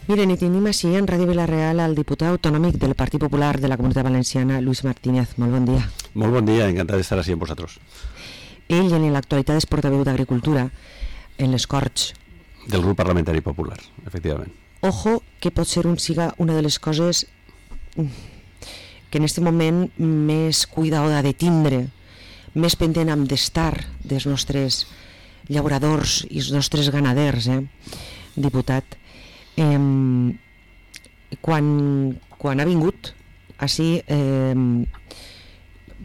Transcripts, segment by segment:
Miren, i tenim així en Ràdio Vila-real el diputat autonòmic del Partit Popular de la Comunitat Valenciana, Luis Martínez. Molt bon dia. Molt bon dia, encantat d'estar així amb vosaltres. Ell en l'actualitat és portaveu d'Agricultura en les Corts del grup parlamentari popular, efectivament. Ojo, que pot ser siga una de les coses que en aquest moment més cuidada de tindre, més pendent hem d'estar dels nostres llauradors i els nostres ganaders, diputat. Quan ha vingut així,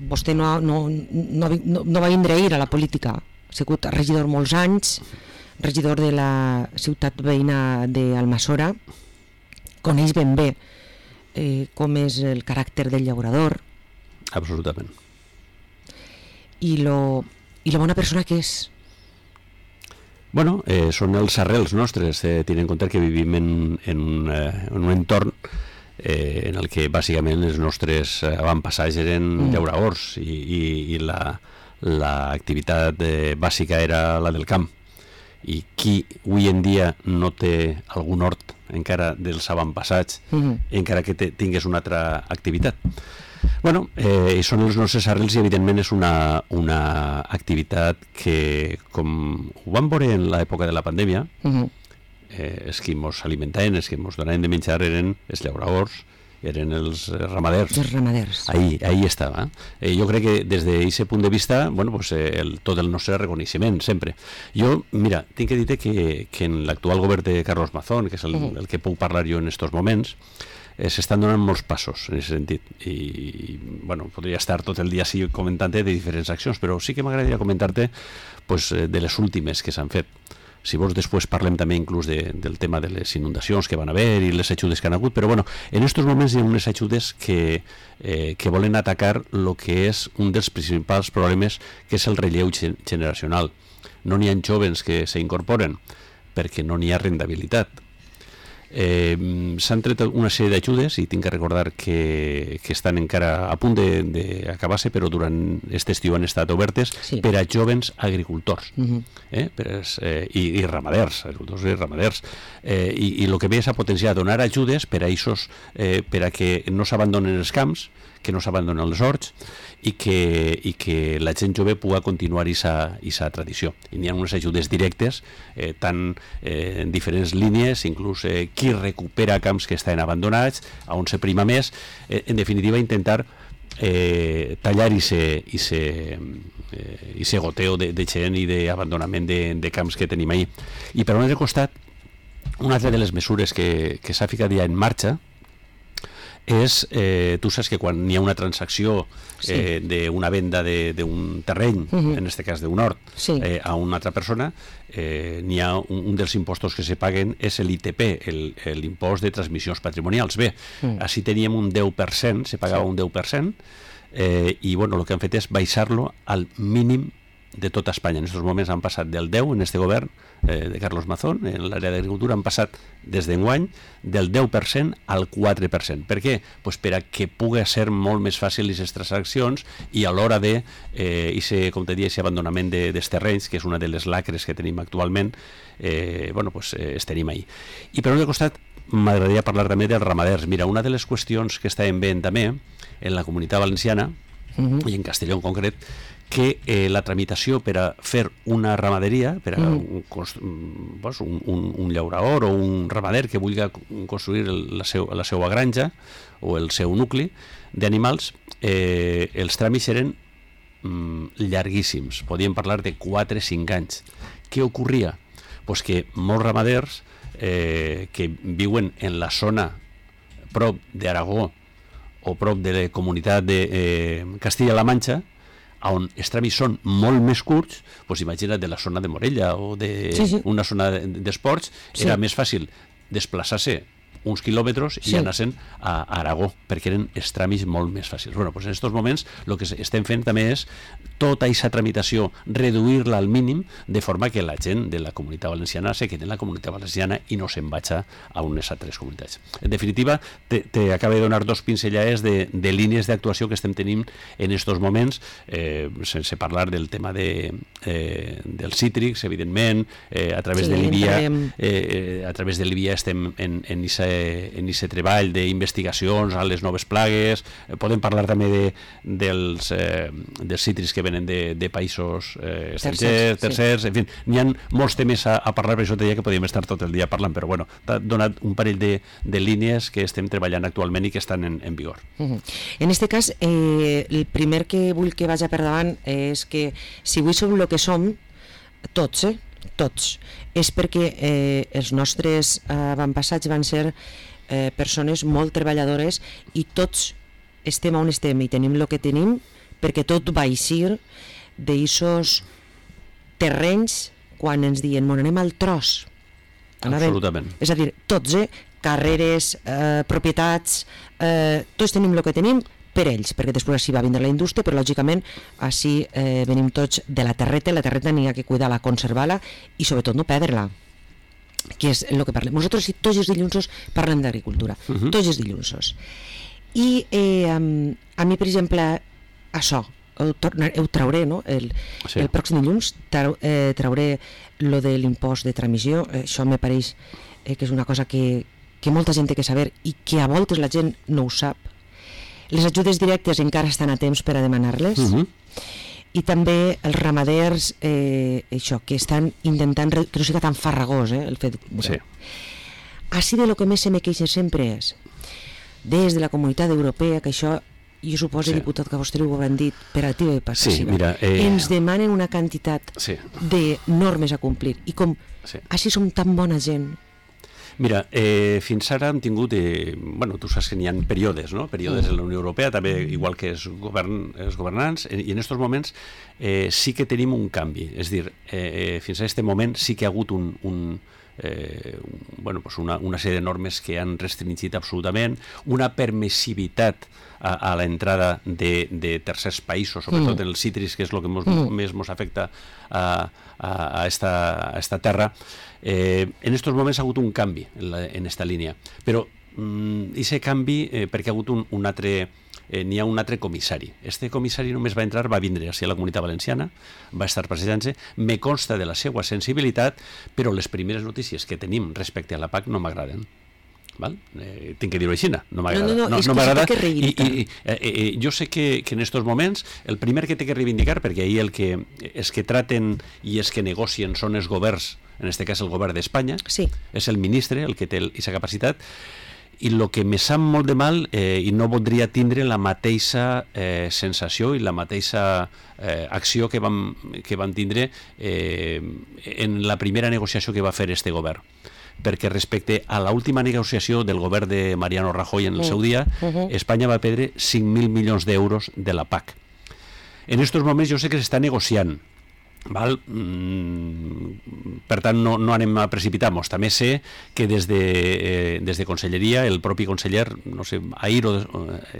vostè no va vindre ahir a la política, ha sigut regidor molts anys, regidor de la ciutat veïna d'Almassora, coneix ben bé com és el caràcter del llaurador. Absolutament. I lo bona persona que és. Bueno, són els arrels nostres, tenint en compte que vivim en un entorn en el que bàsicament els nostres avantpassats eren llauradors i l'activitat bàsica era la del camp. I qui avui en dia no té algun hort encara dels avantpassats, encara que tingués una altra activitat. Bueno, són els nostres arrels i evidentment és una activitat que, com ho vam veure en l'època de la pandèmia, els que ens alimentaven, els que ens donaven de menjar eren els llauradors, eren els ramaders. Els ramaders. Ahí estava. Jo crec que des d'aquest punt de vista, bueno, pues, tot el nostre reconeixement, sempre. Jo, mira, tinc que dir que en l'actual govern de Carlos Mazón, que és el que puc parlar jo en aquests moments, s'estan donant molts passos en aquest sentit i bueno, podria estar tot el dia així comentant-te de diferents accions, però sí que m'agradaria comentar-te pues, de les últimes que s'han fet. Si vols després parlem també inclús del tema de les inundacions que van haver i les ajudes que han hagut, però bueno, en aquests moments hi ha unes ajudes que volen atacar el que és un dels principals problemes, que és el relleu generacional. No n'hi ha joves que s'incorporen perquè no n'hi ha rendibilitat. S'han tret una sèrie d'ajudes i tinc que recordar que estan encara a punt d'acabar-se, però durant aquest estiu han estat obertes per a jovens agricultors i ramaders, agricultors i ramaders, i el que ve és a potenciar, donar ajudes per a que no s'abandonen els camps, que no s'abandonen els horts i que la gent jove pugui continuar aquesta tradició. I n'hi ha unes ajudes directes, tant en diferents línies, inclús qui recupera camps que estan abandonats, on se prima més, en definitiva intentar tallar i goteo de gent i d'abandonament de camps que tenim ahí. I per un altre costat, una altra de les mesures que s'ha ficat ja en marxa és, tu saps que quan hi ha una transacció d'una venda d'un terreny, en aquest cas d'un hort, a una altra persona, n'hi ha un dels impostos que se paguen és l'ITP, l'impost de transmissions patrimonials. Bé, així teníem un 10%, se pagava un 10%, i bueno, el que han fet és baixar-lo al mínim de tota Espanya. En aquests moments han passat del 10 en este govern de Carlos Mazón, en l'àrea d'agricultura han passat des d'enguany del 10% al 4%. Per què? Pues per a que pugui ser molt més fàcil aquestes transaccions i a l'hora de com te diria, aquest abandonament dels terrenys, que és una de les lacres que tenim actualment, bueno, pues es tenim ahí. I per un altre costat m'agradaria parlar també dels ramaders. Mira, una de les qüestions que estaven bé també en la Comunitat Valenciana i en Castelló en concret, que la tramitació per a fer una ramaderia, per a un llaurador o un ramader que vulgui construir la seva granja o el seu nucli d'animals, els tràmits eren llarguíssims, podíem parlar de 4-5 anys. Què ocorria? Pues que molts ramaders que viuen en la zona prop d'Aragó o prop de la comunitat de Castilla-La Manxa, on els tràmits són molt més curts, doncs imagina't de la zona de Morella o d'una zona d'esports, era més fàcil desplaçar-se uns quilòmetres i anar-se'n a Aragó, perquè eren els tràmits molt més fàcils. Bueno, doncs en aquests moments el que estem fent també és tota aquesta tramitació, reduir-la al mínim, de forma que la gent de la Comunitat Valenciana se quedi en la Comunitat Valenciana i no se'n vagi a unes altres comunitats. En definitiva, t'acabo de donar dos pinzellades de línies d'actuació que estem tenint en estos moments, sense parlar del tema dels cítrics, evidentment, a través de l'IBIA estem en aquest treball d'investigacions a les noves plagues. Podem parlar també dels cítrics que venen de països estrangers, tercers, en fi, n'hi ha molts temes a parlar, per això te deia que podíem estar tot el dia parlant, però bueno, t'ha donat un parell de línies que estem treballant actualment i que estan en vigor. En aquest cas, el primer que vull que vagi per davant és que si avui som el que som, tots, és perquè els nostres avantpassats van ser persones molt treballadores i tots estem on estem i tenim el que tenim perquè tot va eixir d'eixos terrenys quan ens diuen anem al tros. Absolutament. És a dir, tots, carreres, propietats, tots tenim el que tenim per ells, perquè després així va vindre la indústria, però lògicament així venim tots de la terreta n'hi ha que cuidar-la, conservar-la i sobretot no perdre-la, que és el que parlem. Nosaltres tots els dilluns parlem d'agricultura, tots els dilluns. I a mi, per exemple, això, ho trauré, no? El pròxim dilluns trauré lo de l'impost de transmissió. Això me pareix que és una cosa que molta gent té que saber i que a voltes la gent no ho sap. Les ajudes directes encara estan a temps per a demanar-les, i també els ramaders això, que estan intentant que no sigui tan farragós el fet. Així de lo que més se me queixa sempre és des de la Comunitat Europea, que això jo suposo, diputat, que vostè ho hauran dit per activa i passiva, ens demanen una quantitat de normes a complir i com així som tan bona gent. Mira, fins ara hem tingut, tu saps que n'hi ha períodes, no? Períodes en la Unió Europea, també igual que els governants, i en aquests moments sí que tenim un canvi, és a dir, fins a aquest moment sí que ha hagut una sèrie de normes que han restringit absolutament, una permissivitat a l'entrada de tercers països, sobretot en els cítrics, que és el que més ens afecta a esta terra. En aquests moments ha hagut un canvi en aquesta línia, però aquest canvi perquè ha hagut n'hi ha un altre comissari. Este comissari només va vindre a la Comunitat Valenciana, va estar presentant-se, me consta de la seva sensibilitat, però les primeres notícies que tenim respecte a la PAC no m'agraden. Tinc que dir-ho així, no m'agrada. No m'agrada. Jo sé que en aquests moments el primer que té que reivindicar, perquè ahir els que traten i els que negocien són els governs, en aquest cas el govern d'Espanya, és el ministre el que té aquesta capacitat, i el que me sap molt de mal, i no voldria tindre la mateixa sensació i la mateixa acció que vam tindre en la primera negociació que va fer este govern, perquè respecte a l'última negociació del govern de Mariano Rajoy en el seu dia, Espanya va perdre 5.000 milions d'euros de la PAC. En aquests moments jo sé que s'està negociant, per tant no anem a precipitar-nos. També sé que des de Conselleria el propi conseller, no sé, ahir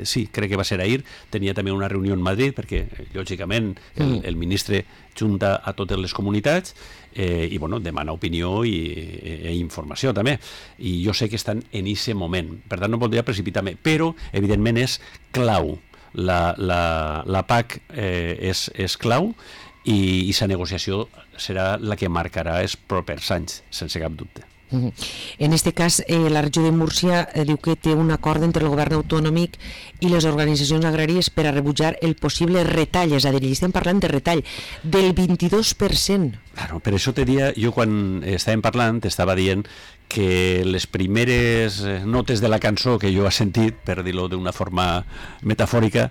sí, crec que va ser ahir, tenia també una reunió en Madrid, perquè lògicament el ministre junta a totes les comunitats i demana opinió i informació també, i jo sé que estan en aquest moment, per tant no voldria precipitar-me, però evidentment és clau, la PAC és clau, i aquesta negociació serà la que marcarà els propers anys, sense cap dubte. En aquest cas, la regió de Múrcia diu que té un acord entre el govern autonòmic i les organitzacions agràries per a rebutjar el possible retall, és a dir, estem parlant de retall del 22%. Claro, per això te dia, jo quan estàvem parlant t'estava dient que les primeres notes de la cançó que jo he sentit, per dir-ho d'una forma metafòrica,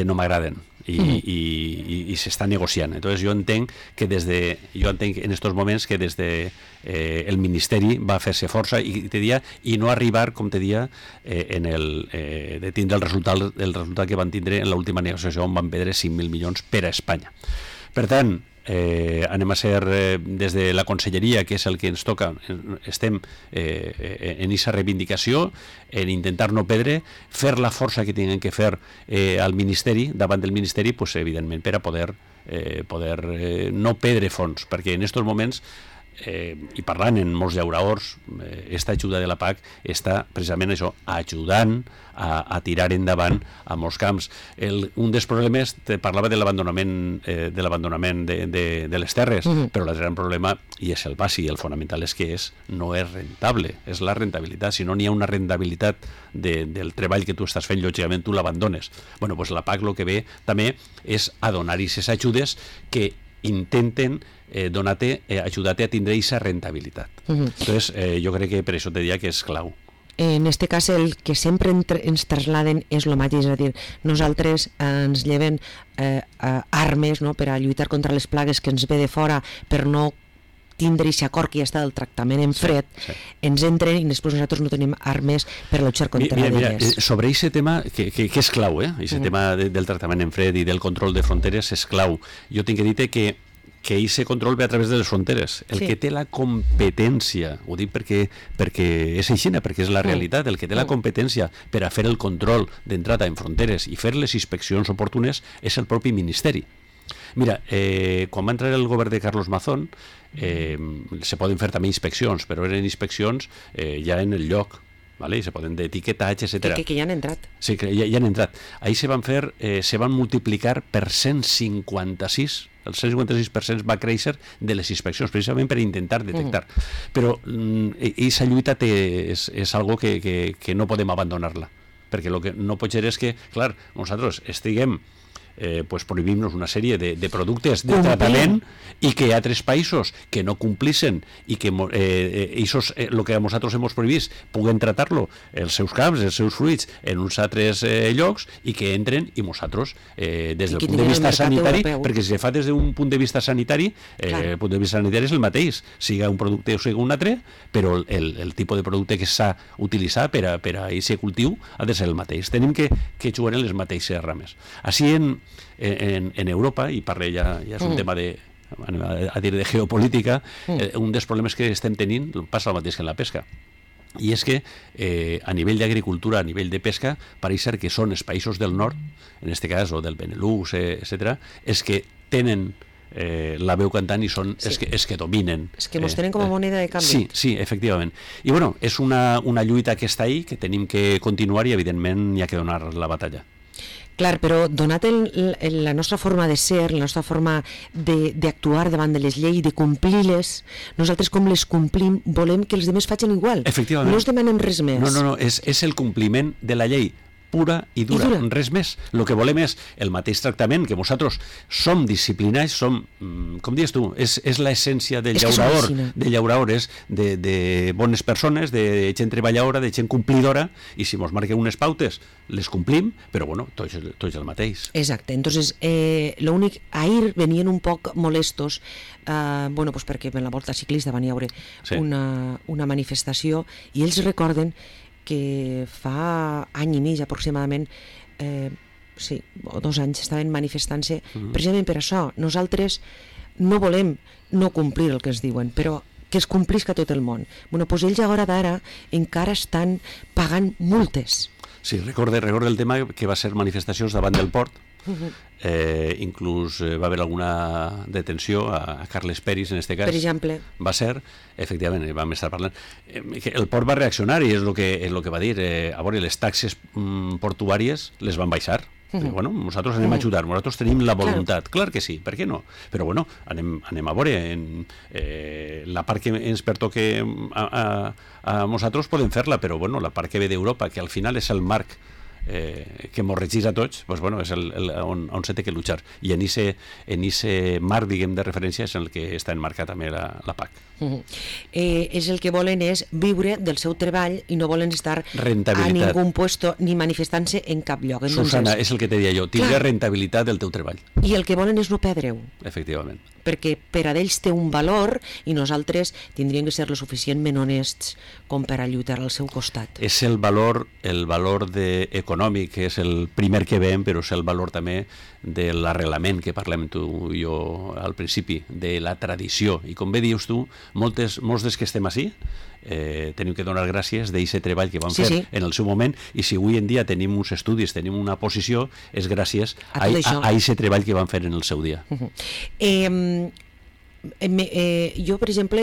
no m'agraden. I s'està negociant. Entonces jo entenc en estos moments que des de el Ministeri va fer-se força i no arribar, com te dia, de tindre el resultat que van tindre en l'última negociació on van perdre 5.000 milions per a Espanya. Per tant, anem a ser des de la Conselleria, que és el que ens toca, estem en aquesta reivindicació, en intentar no perdre, fer la força que tinguem que fer al Ministeri, davant del Ministeri, evidentment per a poder poder no perdre fons, perquè en aquests moments i parlant en molts llauraors, esta ajuda de la PAC està precisament això, ajudant a tirar endavant a molts camps. Un dels problemes, te parlava de l'abandonament de les terres, però el gran problema, i és el bàsic, el fonamental és que no és rentable, és la rentabilitat. Si no n'hi ha una rentabilitat del treball que tu estàs fent, lògicament tu l'abandones. Bueno, doncs la PAC el que ve també és a donar-hi aquestes ajudes que intenten ajudar-te a tindre aquesta rentabilitat. Entonces, jo crec que per això te diria que és clau. En este cas, el que sempre ens trasladen és el mateix, és a dir, nosaltres ens lleven armes, no?, per a lluitar contra les plagues que ens ve de fora, per no tindre aquest acord que ja està del tractament en fred, ens entren i després nosaltres no tenim armes per luchar contra elles. Sobre aquest tema, que és clau, aquest tema del tractament en fred i del control de fronteres és clau. Jo tinc que dir que aquest control ve a través de les fronteres. El que té la competència, ho dic perquè és així, perquè és la realitat, el que té la competència per a fer el control d'entrada en fronteres i fer les inspeccions oportunes és el propi Ministeri. Mira, quan va entrar el govern de Carlos Mazón, se poden fer també inspeccions, però eren inspeccions ja en el lloc, ¿vale? Se poden d'etiquetatge, etc. Que ja han entrat. Sí, que ja han entrat. Ahí se van multiplicar per 156, el 156% va créixer de les inspeccions, precisament per intentar detectar. Però aquesta lluita és algo que no podem abandonar-la, perquè el que no pot ser és que, clar, nosaltres estiguem prohibim-nos una sèrie de productes de tractament i que hi ha altres països que no complissin i que el que a nosaltres hem prohibit puguen tratar-lo, els seus camps, els seus fruits, en uns altres llocs i que entren i nosaltres, des del punt de vista sanitari, perquè si se fa des d'un punt de vista sanitari, el punt de vista sanitari és el mateix, siga un producte o siga un altre, però el tipus de producte que s'ha utilitzat per a aquest cultiu ha de ser el mateix. Tenim que jugar en les mateixes rames. Així en Europa, i parle ja és un tema de geopolítica, un dels problemes que estem tenint passa el mateix que en la pesca, i és que a nivell d'agricultura, a nivell de pesca, pareix ser que són els països del nord, en aquest cas, o del Benelux, etc., els que tenen la veu cantant i són els que dominen. És que ens tenen com a moneda de canvi. Sí, efectivament. I bueno, és una lluita que està ahí, que tenim que continuar i evidentment hi ha que donar la batalla. Clar, però donat la nostra forma de ser, la nostra forma d'actuar davant de les lleis, de complir-les, nosaltres com les complim volem que els altres facin igual. Efectivament. No us demanem res més. No, és el compliment de la llei pura i dura, res més. El que volem és el mateix tractament, que nosaltres som disciplinats, som, com dius tu, és l'essència del llaurador, de bones persones, de gent treballadora, de gent complidora, i si ens marquen unes pautes, les complim, però bueno, tot és el mateix. Exacte, entonces, l'únic, ahir venien un poc molestos, perquè en la Volta Ciclista van hi haure una manifestació, i ells recorden que fa any i mig aproximadament, o 2 anys, estaven manifestant-se precisament per això. Nosaltres no volem no complir el que ens diuen, però que es complisca tot el món. Doncs ells a hora d'ara encara estan pagant multes. Sí, recorde el tema que va ser manifestacions davant del port, inclús va haver alguna detenció a Carles Peris, en aquest cas. Per exemple. Va ser, efectivament, vam estar parlant. El port va reaccionar i és el que va dir. A veure, les taxes portuàries les van baixar. Bueno, nosaltres anem a ajudar, nosaltres tenim la voluntat. Clar que sí, per què no? Però bueno, anem a veure. La part que ens pertoca a nosaltres podem fer-la, però bueno, la part que ve d'Europa, que al final és el marc que ens regeix a tots, doncs, bueno, és on se té que luchar. I en aquest marc, diguem, de referència és el que està enmarcat també la PAC. És el que volen és viure del seu treball i no volen estar a ningú puesto ni manifestant-se en cap lloc. Susana, és el que te deia jo, tindre rentabilitat del teu treball. I el que volen és no perdre-ho. Efectivament. perquè per a ells té un valor i nosaltres tindríem que ser lo suficientment honests com per a lluitar al seu costat. És el valor econòmic, que és el primer que veiem, però és el valor també de l'arrelament que parlem tu i jo al principi, de la tradició. I com bé dius tu, molts dels que estem així tenim que donar gràcies d'aquest treball que vam fer en el seu moment, i si avui en dia tenim uns estudis, tenim una posició, és gràcies a aquest treball que vam fer en el seu dia. Jo, per exemple,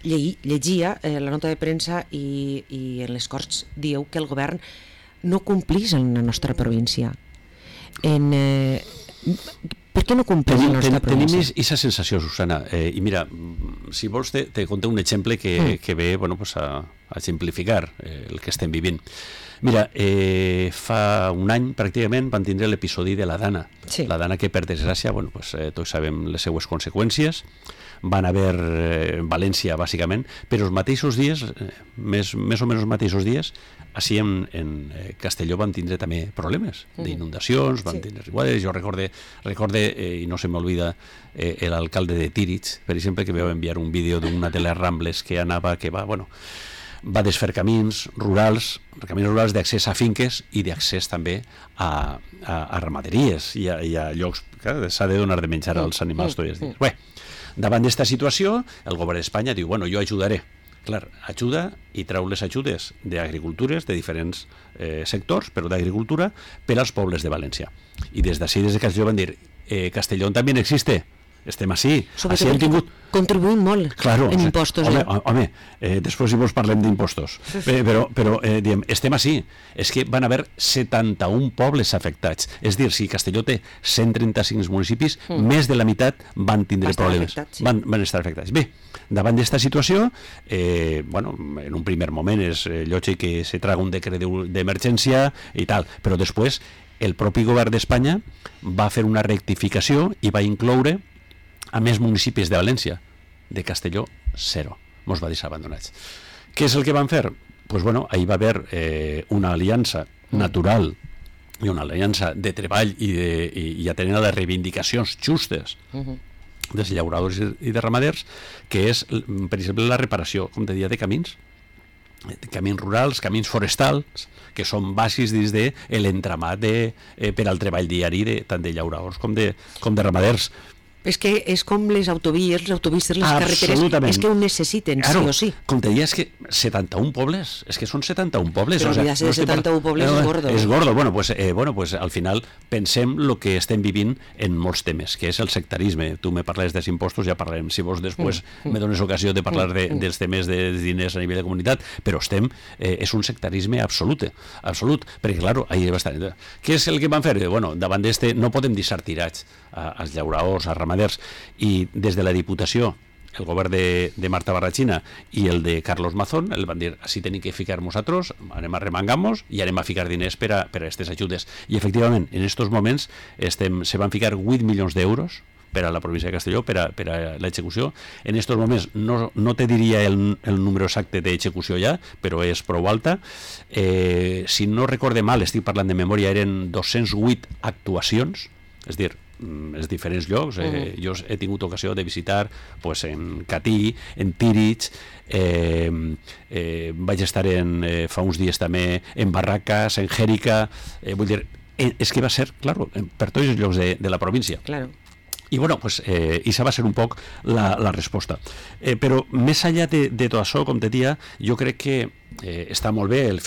llegia la nota de premsa i en les Corts dieu que el govern no complís en la nostra província. Per què no complís en la nostra província? Tenim aquesta sensació, Susana, i mira, si vols te conté un exemple que ve a simplificar el que estem vivint. Mira, fa un any pràcticament van tindre l'episodi de la Dana. La Dana que, per desgràcia, tots sabem les seues conseqüències, van haver València, bàsicament, però els mateixos dies, més o menys els mateixos dies, així en Castelló van tindre també problemes d'inundacions, van tindre riguades. Jo recorde, i no se m'olvida, l'alcalde de Tírig, per exemple, que vau enviar un vídeo d'una de les Rambles que va desfer camins rurals d'accés a finques i d'accés també a ramaderies i a llocs que s'ha de donar de menjar als animals tots els dies. Bé, davant d'esta situació, el govern d'Espanya diu, jo ajudaré. Clar, ajuda i treu les ajudes d'agricultures de diferents sectors, però d'agricultura, per als pobles de València. I des d'ací, des de Castelló, van dir, Castellón també existe. Estem així. Així hem tingut... Contribuïm molt en impostos. Home, després si vols parlem d'impostos. Però diem, estem així. És que van haver 71 pobles afectats. És dir, si Castelló té 135 municipis, més de la meitat van tindre problemes. Van estar afectats. Bé, davant d'esta situació, en un primer moment és lògic que se traga un decret d'emergència i tal, però després el propi govern d'Espanya va fer una rectificació i va incloure a més municipis de València. De Castelló, 0. Mos va deixar abandonats. Què és el que van fer? Ahir va haver una aliança natural i una aliança de treball i atenent a les reivindicacions justes dels llauradors i de ramaders, que és, per exemple, la reparació, com te deia, de camins rurals, camins forestals, que són bàsics dins de l'entramat per al treball diari tant de llauradors com de ramaders. És que és com les autovies, les carreteres, és que ho necessiten, sí o sí. Com te deia, és que 71 pobles, és que són 71 pobles. Però oblidar-se de 71 pobles és gordo. És gordo, pues al final pensem el que estem vivint en molts temes, que és el sectarisme. Tu me parles dels impostos, ja parlarem, si vols després me dones ocasió de parlar dels temes dels diners a nivell de comunitat, però és un sectarisme absolut, perquè clar, ahir va estar... Què és el que van fer? Davant d'este no podem deixar tirats als llauradors, als ramaders, i des de la Diputació, el govern de Marta Barrachina i el de Carlos Mazón el van dir, així tenim que ficar nosaltres, anem a remangar-nos i anem a ficar diners per a aquestes ajudes. I efectivament, en aquests moments se van ficar 8 milions d'euros per a la província de Castelló, per a l'execució. En aquests moments no te diria el número exacte d'execució ja, però és prou alta. Si no recorde mal, estic parlant de memòria, eren 208 actuacions, és dir, els diferents llocs. Jo he tingut ocasió de visitar en Catí, en Tírig, vaig estar fa uns dies també en Barracas, en Jèrica, vull dir, és que va ser, clar, per tots els llocs de la província. Claro. I això va ser un poc la resposta. Però més enllà de tot això, com te dia, jo crec que està molt bé el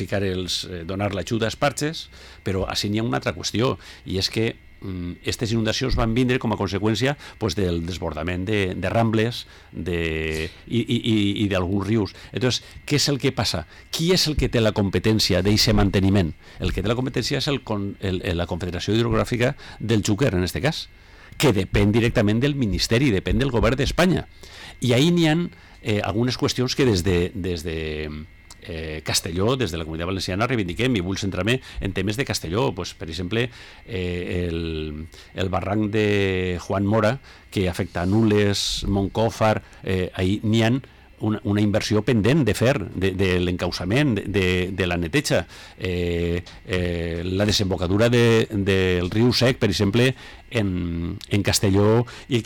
donar l'ajuda als parxes, però així n'hi ha una altra qüestió, i és que aquestes inundacions van vindre com a conseqüència del desbordament de rambles i d'alguns rius. Entonces, què és el que passa? Qui és el que té la competència d'aquest manteniment? El que té la competència és la Confederació Hidrogràfica del Xúquer, en aquest cas, que depèn directament del Ministeri, depèn del govern d'Espanya. I ahir n'hi ha algunes qüestions que des de Castelló, des de la Comunitat Valenciana, reivindiquem, i vull centrar-me en temes de Castelló. Per exemple, el barranc de Juan Mora, que afecta a Nules, Montcòfar, ahir n'hi ha una inversió pendent de fer, de l'encauçament, de la neteja. La desembocadura del riu Sec, per exemple, en Castelló i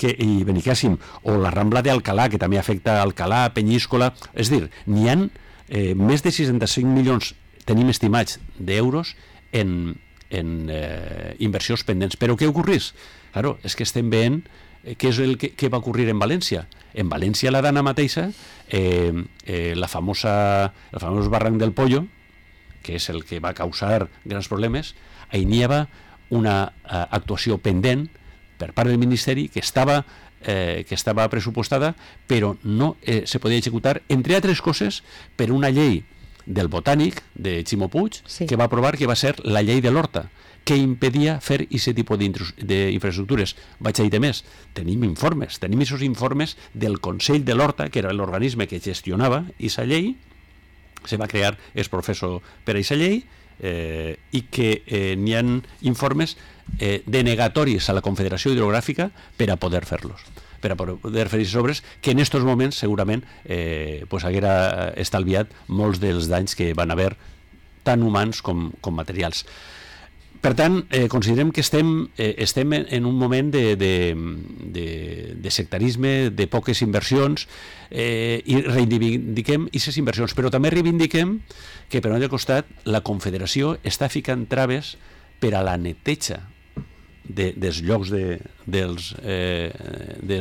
Benicàssim, o la Rambla d'Alcalà, que també afecta Alcalà, Penyíscola. És a dir, n'hi ha més de 65 milions, tenim estimats, d'euros en inversions pendents. Però què ocorreix? Claro, és que estem veient què és el que va ocorrir en València. En València, la dana mateixa, el famós barranc del Pollo, que és el que va causar grans problemes, ahí n'hi havia una actuació pendent per part del Ministeri que estava pressupostada, però no se podia executar, entre altres coses, per una llei del Botànic, de Ximo Puig, sí, que va aprovar, que va ser la llei de l'Horta, que impedia fer aquest tipus d'infraestructures. Vaig a dir més, tenim aquests informes del Consell de l'Horta, que era l'organisme que gestionava aquesta llei, se va crear el professor per a aquesta llei, i que n'hi ha informes denegatoris a la Confederació Hidrogràfica per a poder fer-los, per a poder fer aquestes obres, que en aquests moments segurament haguera estalviat molts dels danys que van haver, tant humans com materials. Per tant, considerem que estem en un moment de sectarisme, de poques inversions, i reivindiquem aquestes inversions, però també reivindiquem que, per un altre costat, la Confederació està ficant traves per a la neteja dels llocs dels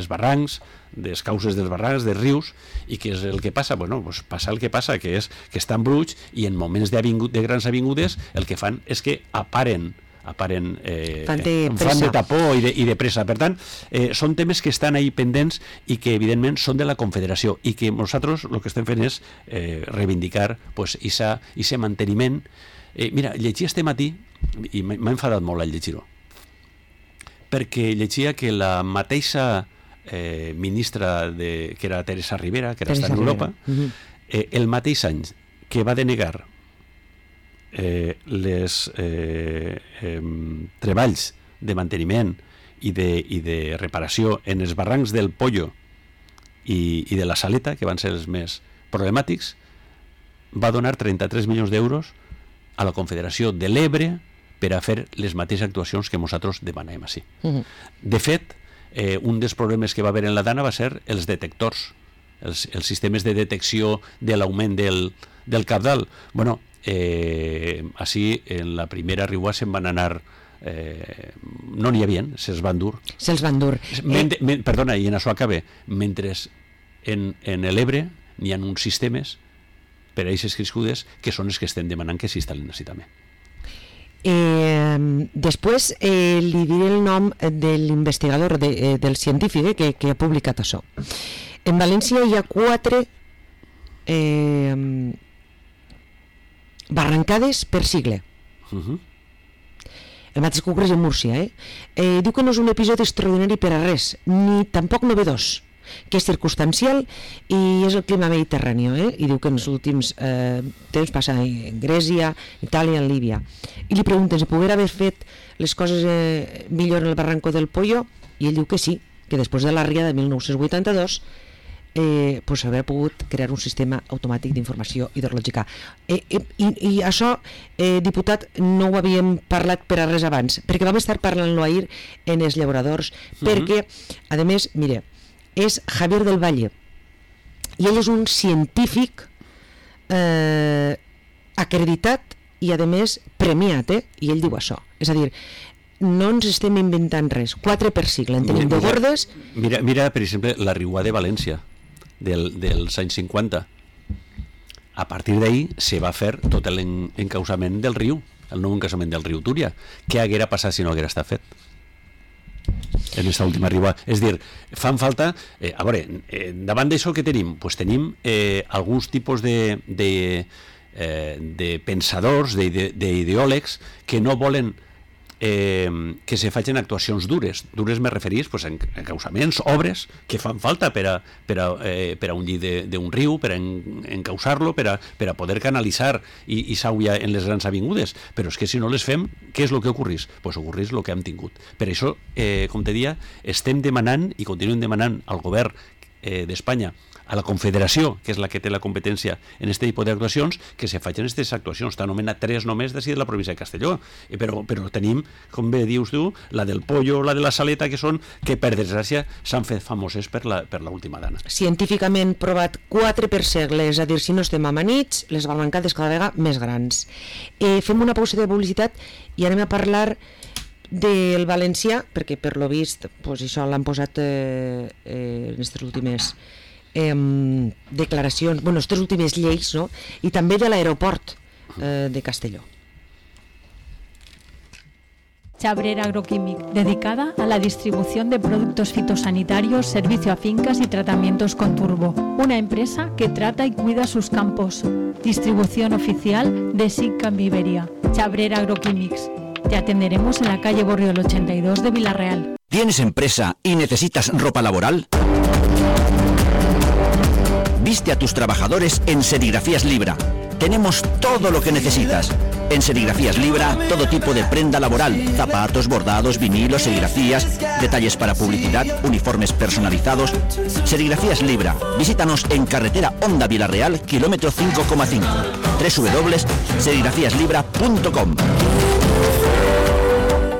barrancs, des causes dels barrancs, dels rius, i què és el que passa? Bueno, pues passa el que passa, que és que estan bruts, i en moments de grans avingudes el que fan és que fan de tapó i de pressa. Per tant, són temes que estan ahí pendents i que evidentment són de la Confederació, i que nosaltres el que estem fent és reivindicar aquest manteniment. Mira, llegia este matí, i m'ha enfadat molt al llegir-ho, perquè llegia que la mateixa ministra que era Teresa Rivera, que ara està en Europa, el mateix any que va denegar les treballs de manteniment i de reparació en els barrancs del Pollo i de la Saleta, que van ser els més problemàtics, va donar 33 milions d'euros a la Confederació de l'Ebre per a fer les mateixes actuacions que nosaltres demanem així. De fet, un dels problemes que va haver en la dana va ser els detectors, els sistemes de detecció de l'augment del cabdal. Bueno, així en la primera riua se'n van anar, no n'hi havia, se'ls van dur. Perdona, i en això acabe. Mentre en l'Ebre n'hi ha uns sistemes per a aquestes crescudes que són els que estem demanant que s'instal·lin així també. Després li diré el nom de l'investigador, del científic que ha publicat això. En València hi ha 4 barrancades per sigle. El mateix que ocorre en Múrcia. Diu que no és un episodi extraordinari per a res, ni tampoc novedós, que és circumstancial i és el clima mediterrani, i diu que en els últims temps passa en Grècia, Itàlia, en Líbia. I li pregunten si poguera haver fet les coses millor en el barranco del Pollo, i ell diu que sí, que després de la ria de 1982 haver pogut crear un sistema automàtic d'informació hidrològica. I això, diputat, no ho havíem parlat per a res abans, perquè vam estar parlant-lo ahir en els llauradors, perquè, a més, mire, és Javier del Valle, i ell és un científic acreditat i, a més, premiat, i ell diu això. És a dir, no ens estem inventant res. 4 per sigle, en tenim de gordes. Mira, per exemple, la riua de València, dels anys 50. A partir d'ahí se va fer tot l'encausament del riu, el nou encausament del riu Túria. Què haguera passat si no haguera estat fet en aquesta última riua? És dir, fan falta... a veure, davant d'això que tenim? Pues tenim alguns tipus de pensadors, d'ideòlegs, que no volen que se facin actuacions dures. Dures me referís a encausaments, obres que fan falta per a un llit d'un riu, per a encausar-lo, per a poder canalitzar i s'auia en les grans avingudes. Però és que si no les fem, què és el que ocorreix? Doncs ocorreix el que hem tingut. Per això, com te deia, estem demanant i continuem demanant al govern d'Espanya, a la Confederació, que és la que té la competència en aquest tipus d'actuacions, que se facin aquestes actuacions. T'han nomenat 3 només d'ací de la província de Castelló, però tenim, com bé dius tu, la del pollo, la de la saleta, que per desgràcia s'han fet famoses per l'última dana. Científicament provat 4 per segle, és a dir, si no estem amanits, les barrancades cada vegada més grans. Fem una pausa de publicitat i anem a parlar del valencià, perquè per lo vist això l'han posat en aquestes últimes declaracions, aquestes últimes lleis, no? I també de l'aeroport de Castelló. Chabrera Agroquímic, dedicada a la distribución de productos fitosanitarios, servicio a fincas y tratamientos con turbo. Una empresa que trata y cuida sus campos. Distribución oficial de SICAM Iberia. Chabrera Agroquímics. Te atenderemos en la calle Borriol 82 de Villarreal. ¿Tienes empresa y necesitas ropa laboral? Viste a tus trabajadores en Serigrafías Libra. Tenemos todo lo que necesitas. En Serigrafías Libra, todo tipo de prenda laboral, zapatos, bordados, vinilos, serigrafías, detalles para publicidad, uniformes personalizados. Serigrafías Libra. Visítanos en carretera Honda Villarreal, kilómetro 5,5. www.serigrafíaslibra.com.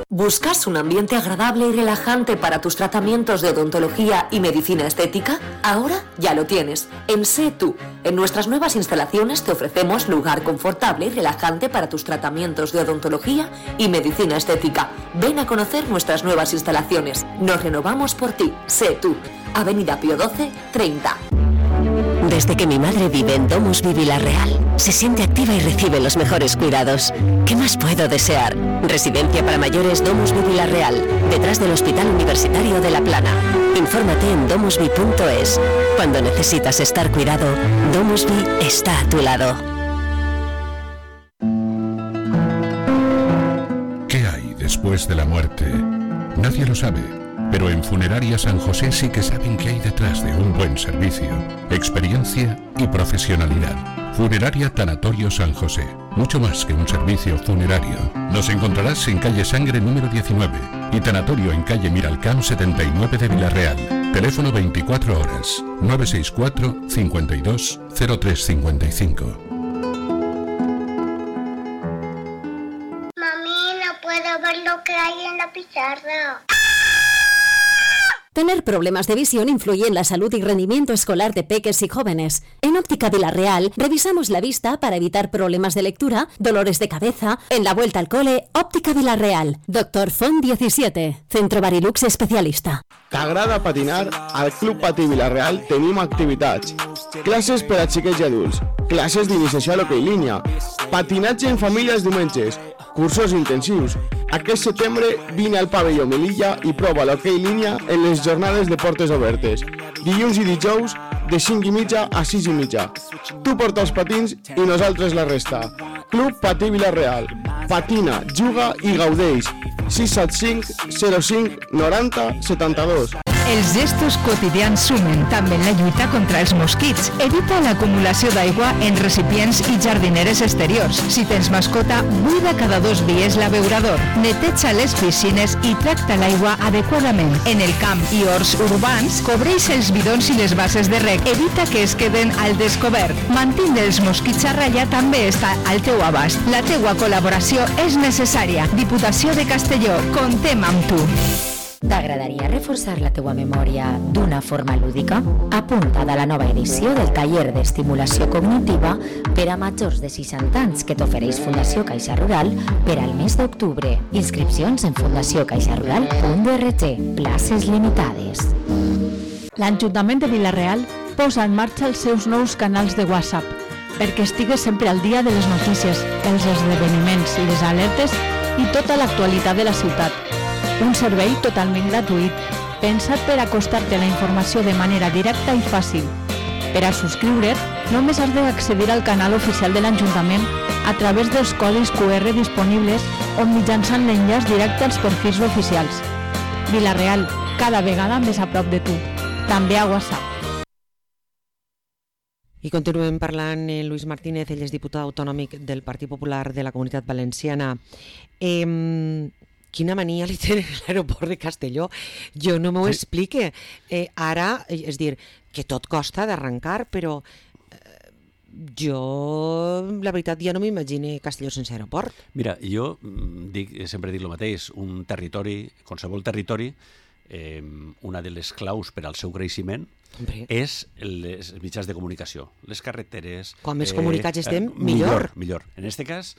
¿Buscas un ambiente agradable y relajante para tus tratamientos de odontología y medicina estética? Ahora ya lo tienes. En Sé Tú. En nuestras nuevas instalaciones te ofrecemos lugar confortable y relajante para tus tratamientos de odontología y medicina estética. Ven a conocer nuestras nuevas instalaciones. Nos renovamos por ti. Sé Tú. Avenida Pío XII, 30. Desde que mi madre vive en Domusvi Villarreal, se siente activa y recibe los mejores cuidados. ¿Qué más puedo desear? Residencia para mayores Domusvi Villarreal, detrás del Hospital Universitario de La Plana. Infórmate en domusvi.es. Cuando necesitas estar cuidado, Domusvi está a tu lado. ¿Qué hay después de la muerte? Nadie lo sabe. Pero en Funeraria San José sí que saben qué hay detrás de un buen servicio, experiencia y profesionalidad. Funeraria Tanatorio San José, mucho más que un servicio funerario. Nos encontrarás en calle Sangre número 19 y Tanatorio en calle Miralcamp 79 de Villarreal. Teléfono 24 horas, 964 52 0355. Mami, no puedo ver lo que hay en la pizarra. Tener problemas de visión influye en la salud y rendimiento escolar de peques y jóvenes. En Óptica Villarreal revisamos la vista para evitar problemas de lectura, dolores de cabeza. En la vuelta al cole, Óptica Villarreal. Doctor Font 17, Centro Barilux especialista. T'agrada patinar? Al Club Patí Villarreal tenim activitats. Classes per a xiquets i adults, classes d'iniciació a l'hoquei línia, patinatge en família els diumenges, cursos intensius. Aquest setembre vine al pavelló Melilla i prova l'hoquei línia en les jornades de portes obertes. Dilluns i dijous de 5:30 a 6:30. Tu porta els patins i nosaltres la resta. Club Patí Villarreal. Patina, juga i gaudeix. 675 05 90 72. Els gestos quotidians sumen també en la lluita contra els mosquits. Evita l'acumulació d'aigua en recipients i jardineres exteriors. Si tens mascota, buida cada 2 dies l'abeurador. Neteja les piscines i tracta l'aigua adequadament. En el camp i horts urbans, cobreix els bidons i les bases de reg. Evita que es queden al descobert. Mantindre els mosquits a ratlla també està al teu abast. La teua col·laboració és necessària. Diputació de Castelló, comptem amb tu. T'agradaria reforçar la teua memòria d'una forma lúdica? Apunta't a la nova edició del taller d'estimulació cognitiva per a majors de 60 anys que t'ofereix Fundació Caixa Rural per al mes d'octubre. Inscripcions en fundaciocaixarural.org. Places limitades. L'Ajuntament de Villarreal posa en marxa els seus nous canals de WhatsApp perquè estigues sempre al dia de les notícies, els esdeveniments i les alertes i tota l'actualitat de la ciutat. Un servei totalment gratuït, pensat per acostar-te a la informació de manera directa i fàcil. Per a subscriure't, només has d'accedir al canal oficial de l'Ajuntament a través dels codis QR disponibles o mitjançant l'enllaç directe als perfils oficials. Villarreal, cada vegada més a prop de tu. També a WhatsApp. I continuem parlant amb Luis Martínez, ell és diputat autonòmic del Partit Popular de la Comunitat Valenciana. Quina mania li tenen a l'aeroport de Castelló? Jo no m'ho explique. Ara, és dir, que tot costa d'arrencar, però jo, la veritat, ja no m'imagine Castelló sense aeroport. Mira, jo sempre dic el mateix, un territori, qualsevol territori, una de les claus per al seu creixement és els mitjans de comunicació, les carreteres... Quan més comunicats estem, millor. Millor. En aquest cas,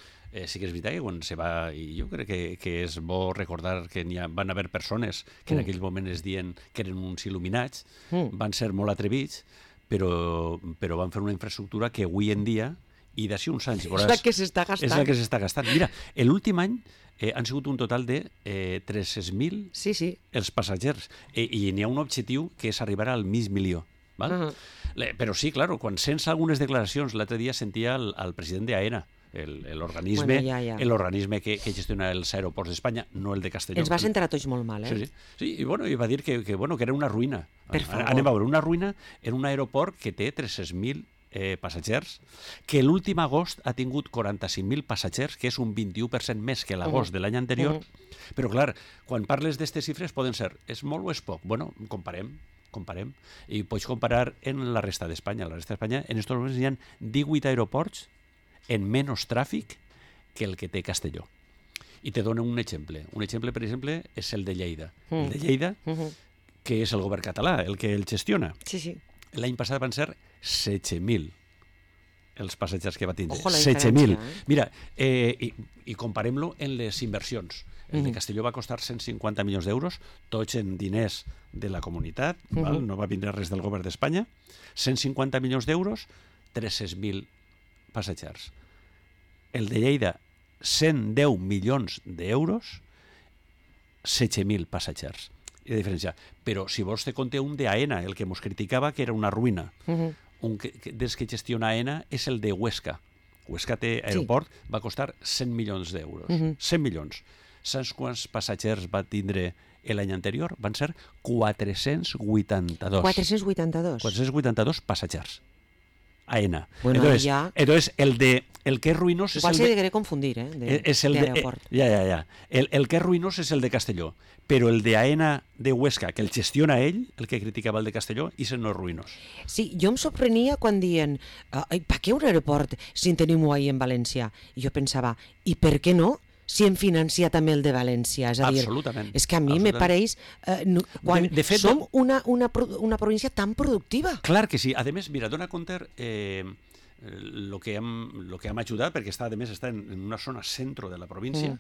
sí que és veritat que quan se va... I jo crec que és bo recordar que van haver persones que en aquell moment es diuen que eren uns il·luminats, van ser molt atrevits, però van fer una infraestructura que avui en dia, i d'ací uns anys... És la que s'està gastant. És la que s'està gastant. Mira, l'últim any han sigut un total de 300.000 els passatgers, i n'hi ha un objectiu que és arribar al mig milió. Val? Però sí, claro, quan sents algunes declaracions, l'altre dia sentia el president d'AENA, l'organisme que gestiona els aeroports d'Espanya, no el de Castelló. Ens va sentar a tots molt mal, Sí, i va dir que era una ruïna. Anem a veure, una ruïna en un aeroport que té 300.000 passatgers, que l'últim agost ha tingut 45.000 passatgers, que és un 21% més que l'agost de l'any anterior. Però, clar, quan parles d'aquestes xifres poden ser, és molt o és poc? Bueno, comparem. I pots comparar en la resta d'Espanya. A la resta d'Espanya, en aquests moments, hi ha 18 aeroports en menys tràfic que el que té Castelló. I te dono un exemple. Un exemple, per exemple, és el de Lleida. El de Lleida, que és el govern català, el que el gestiona. Sí. L'any passat van ser 16.000 els passatgers que va tindre. 16.000. Mira, i comparem-lo en les inversions. El de Castelló va costar 150 milions d'euros, tots en diners de la comunitat, no va vindre res del govern d'Espanya, 150 milions d'euros, 300.000 passatgers. El de Lleida, 110 milions d'euros, 16.000 passatgers. I de diferència. Però si vols te conté un d'AENA, el que mos criticava que era una ruïna. Un dels que gestiona AENA és el de Huesca. Huesca té aeroport, va costar 100 milions d'euros. 100 milions. Saps quants passatgers va tindre l'any anterior? Van ser 482. 482 passatgers. AENA. Bueno, entonces el que és ruïnós és igual el se degué confundir, d'aeroport. El que és ruïnós és el de Castelló, però el de AENA de Huesca, que el gestiona ell, el que criticava el de Castelló, i no és ruïnós. Sí, jo em sorprenia quan diuen per què un aeroport si en tenim ahí en València? I jo pensava, i per què no? Si hem financiat també el de València. És a dir, és que a mi me pareix quan de fet, som una província tan productiva. Clar que sí. A més, mira, dona compte el que hem ajudat, perquè a més està en una zona centre de la província,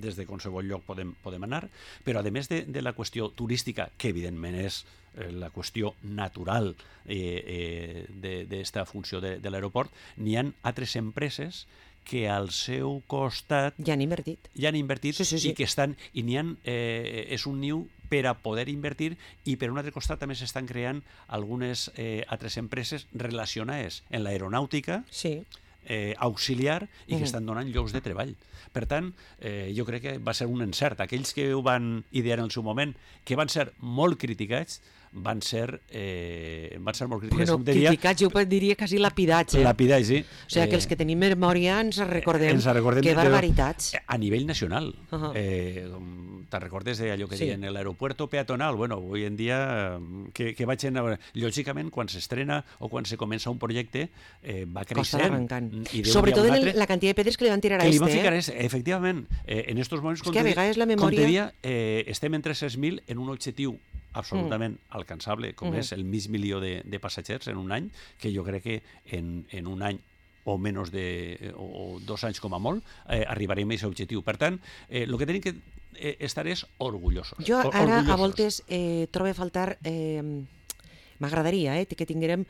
des de qualsevol lloc podem anar, però a més de la qüestió turística, que evidentment és la qüestió natural d'esta funció de l'aeroport, n'hi ha altres empreses que al seu costat ja han invertit i que estan, i n'hi ha, és un niu per a poder invertir, i per un altre costat també s'estan creant algunes altres empreses relacionades en l'aeronàutica auxiliar i que estan donant llocs de treball. Per tant, jo crec que va ser un encert. Aquells que ho van idear en el seu moment, que van ser molt criticats, van ser molt criticats. Bueno, criticats, jo diria quasi lapidats. Lapidats, sí. O sigui, que els que tenim memòria ens recordem que barbaritats. A nivell nacional. Te'n recordes d'allò que diuen l'aeropuerto peatonal? Bueno, avui en dia, que vaig a veure, lògicament, quan s'estrena o quan se comença un projecte, va creixent. Costa d'arrencant. Sobretot en la quantitat de pedres que li van tirar a efectivament. En aquests moments, com te dia, estem en 300.000 en un objectiu absolutament alcançable, com és el mig milió de passatgers en un any, que jo crec que en un any o menys o 2 anys com a molt, arribarem a aquest objectiu. Per tant, el que tenim que estar és orgullosos. Jo ara a voltes trobo a faltar, m'agradaria que tinguérem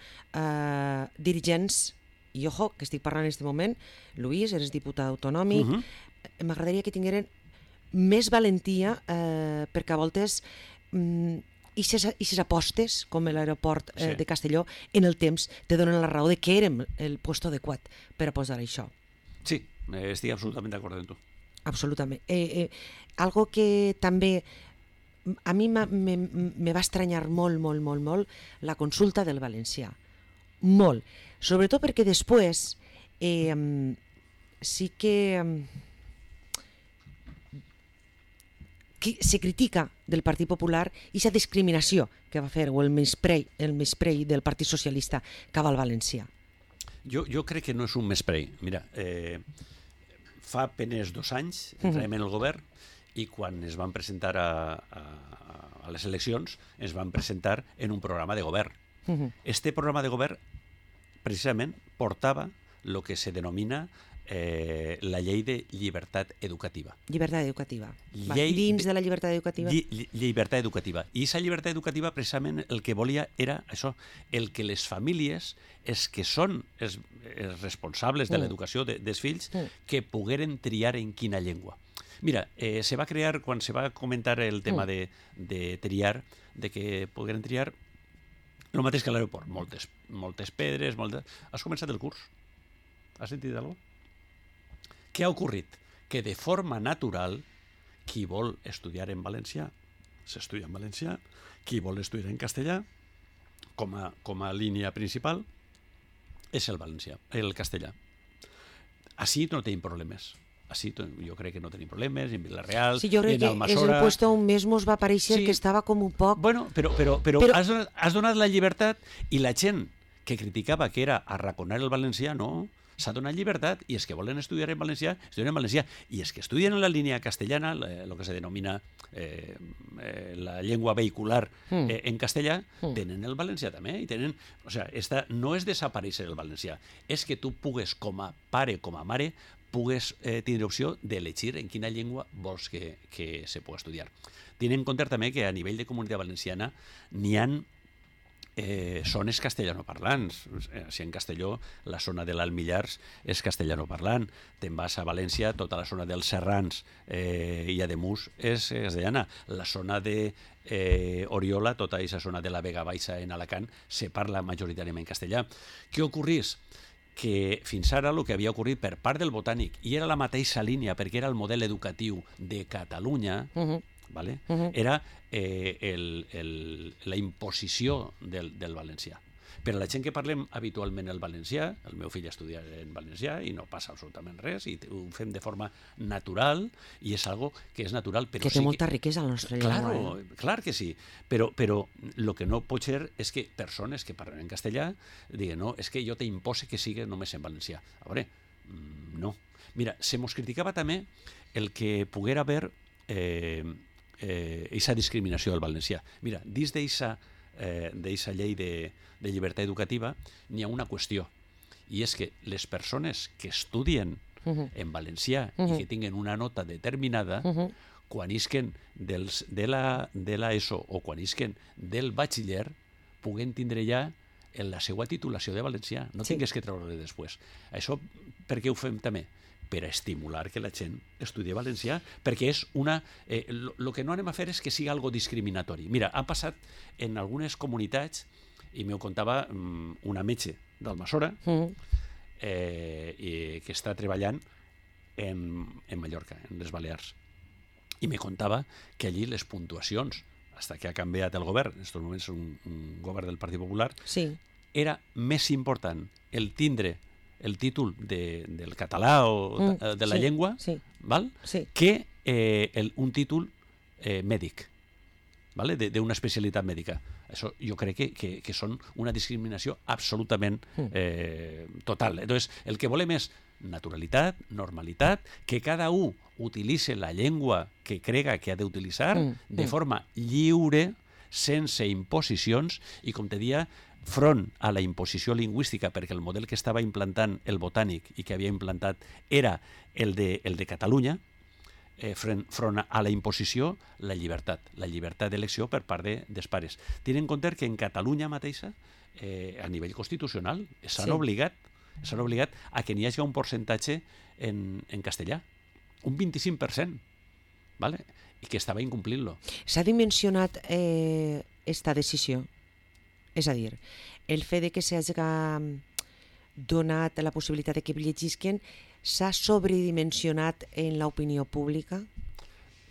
dirigents, i ojo, que estic parlant en aquest moment, Luis, eres diputat autonòmic, m'agradaria que tingueren més valentia perquè a voltes i ses apostes, com l'aeroport de Castelló, en el temps te donen la raó de que érem el puesto adequat per a posar això. Sí, estic absolutament d'acord amb tu. Absolutament. Algo que també a mi me va estranyar molt la consulta del valencià. Molt. Sobretot perquè després sí que se critica del Partit Popular aquesta discriminació que va fer, o el menysprei del Partit Socialista cap al valencià. Jo crec que no és un menysprei. Mira, fa apenas 2 anys entràvem en el govern i quan es van presentar a les eleccions ens van presentar en un programa de govern. Este programa de govern precisament portava el que se denomina la llei de llibertat educativa. Llibertat educativa. Dins de la llibertat educativa? Llibertat educativa. I aquesta llibertat educativa precisament el que volia era això, el que les famílies, els que són els responsables de l'educació dels fills, que pogueren triar en quina llengua. Mira, se va crear, quan se va comentar el tema de triar, de que pogueren triar, el mateix que a l'aeroport, moltes pedres, Has començat el curs? Has sentit alguna cosa? Què ha ocorrit? Que de forma natural, qui vol estudiar en valencià, s'estudia en valencià, qui vol estudiar en castellà, com a línia principal, és el valencià, el castellà. Així no tenim problemes. Així jo crec que no tenim problemes, en Vila-real, sí, jo crec en Almassora... que és el puesto on més mos va aparèixer que estava com un poc... Bueno, però has donat la llibertat i la gent que criticava que era arraconar el valencià, no, s'ha donat llibertat i els que volen estudiar en valencià, estudien en valencià, i els que estudien en la línia castellana, el que se denomina la llengua vehicular en castellà, tenen el valencià també, i tenen... O sigui, no és desaparèixer el valencià, és que tu pugues, com a pare, com a mare, pugues tindre opció d'elegir en quina llengua vols que se pugui estudiar. Tenint en compte també que a nivell de comunitat valenciana n'hi ha zones castellanoparlants. Si en Castelló, la zona de l'Almillars és castellanoparlant. Te'n vas a València, tota la zona dels Serrans i Ademús és castellana. La zona d'Oriola, tota aquesta zona de la Vega Baixa en Alacant, se parla majoritàriament castellà. Què ocorrís? Que fins ara el que havia ocorrit per part del Botànic, i era la mateixa línia perquè era el model educatiu de Catalunya, ¿vale? Era la imposició del valencià. Per a la gent que parlem habitualment el valencià, el meu fill estudia en valencià i no passa absolutament res, i ho fem de forma natural, i és algo que és natural. Però que té molta riquesa la nostra llengua. Clar que sí, però el que no pot ser és que persones que parlen en castellà diguen, no, és que jo t'impose que sigui només en valencià. A veure, no. Mira, se mos criticava també el que poguera haver aquesta discriminació del valencià. Mira, dins d'aquesta llei de llibertat educativa n'hi ha una qüestió, i és que les persones que estudien en valencià i que tinguen una nota determinada, quan isquen de l'ESO o quan isquen del batxiller, puguen tindre ja en la seva titulació de valencià, no tingues que treure-le després. Això per què ho fem també? Per a estimular que la gent estudi valencià, perquè és una... El que no anem a fer és que sigui algo discriminatori. Mira, ha passat en algunes comunitats, i m'ho contava una metge d'Almassora, que està treballant en Mallorca, en les Balears, i me contava que allí les puntuacions, fins que ha canviat el govern, en aquests moments és un govern del Partit Popular, era més important el tindre el títol del català o de la llengua, val? Que un títol mèdic, d'una especialitat mèdica. Això jo crec que són una discriminació absolutament total. Entonces, el que volem és naturalitat, normalitat, que cada un utilitzi la llengua que crega que ha d'utilitzar de forma lliure, sense imposicions, i com te dia, front a la imposició lingüística, perquè el model que estava implantant el Botànic i que havia implantat era el de Catalunya, front a la imposició, la llibertat d'elecció per part dels pares. Tenint en compte que en Catalunya mateixa, a nivell constitucional, s'han obligat a que n'hi hagi un percentatge en castellà, un 25%, i que estava incomplint-lo. S'ha dimensionat esta decisió? És a dir, el fet de que s'hagi donat la possibilitat que llegisquen s'ha sobredimensionat en l'opinió pública?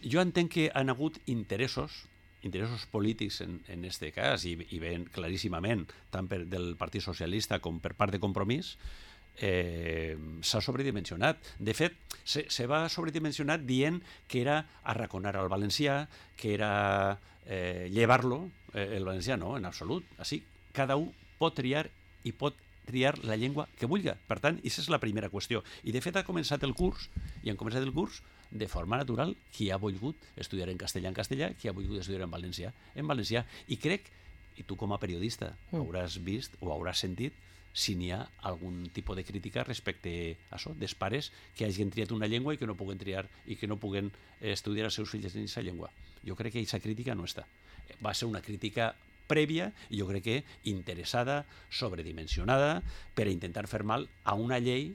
Jo entenc que han hagut interessos polítics en aquest cas, i ben claríssimament, tant del Partit Socialista com per part de Compromís, s'ha sobredimensionat. De fet, se va sobredimensionat dient que era arraconar al valencià, que era llevar-lo. El valencià no, en absolut. Així, cada un pot triar i pot triar la llengua que vulgui. Per tant, aquesta és la primera qüestió. I de fet ha començat el curs, i han començat el curs de forma natural, qui ha volgut estudiar en castellà, qui ha volgut estudiar en valencià. I crec, i tu com a periodista hauràs vist o hauràs sentit si n'hi ha algun tipus de crítica respecte a això, dels pares que hagin triat una llengua i que no puguen triar i que no puguen estudiar els seus fills en aquesta llengua. Jo crec que aquesta crítica no està. Va ser una crítica prèvia i jo crec que interessada, sobredimensionada, per a intentar fer mal a una llei,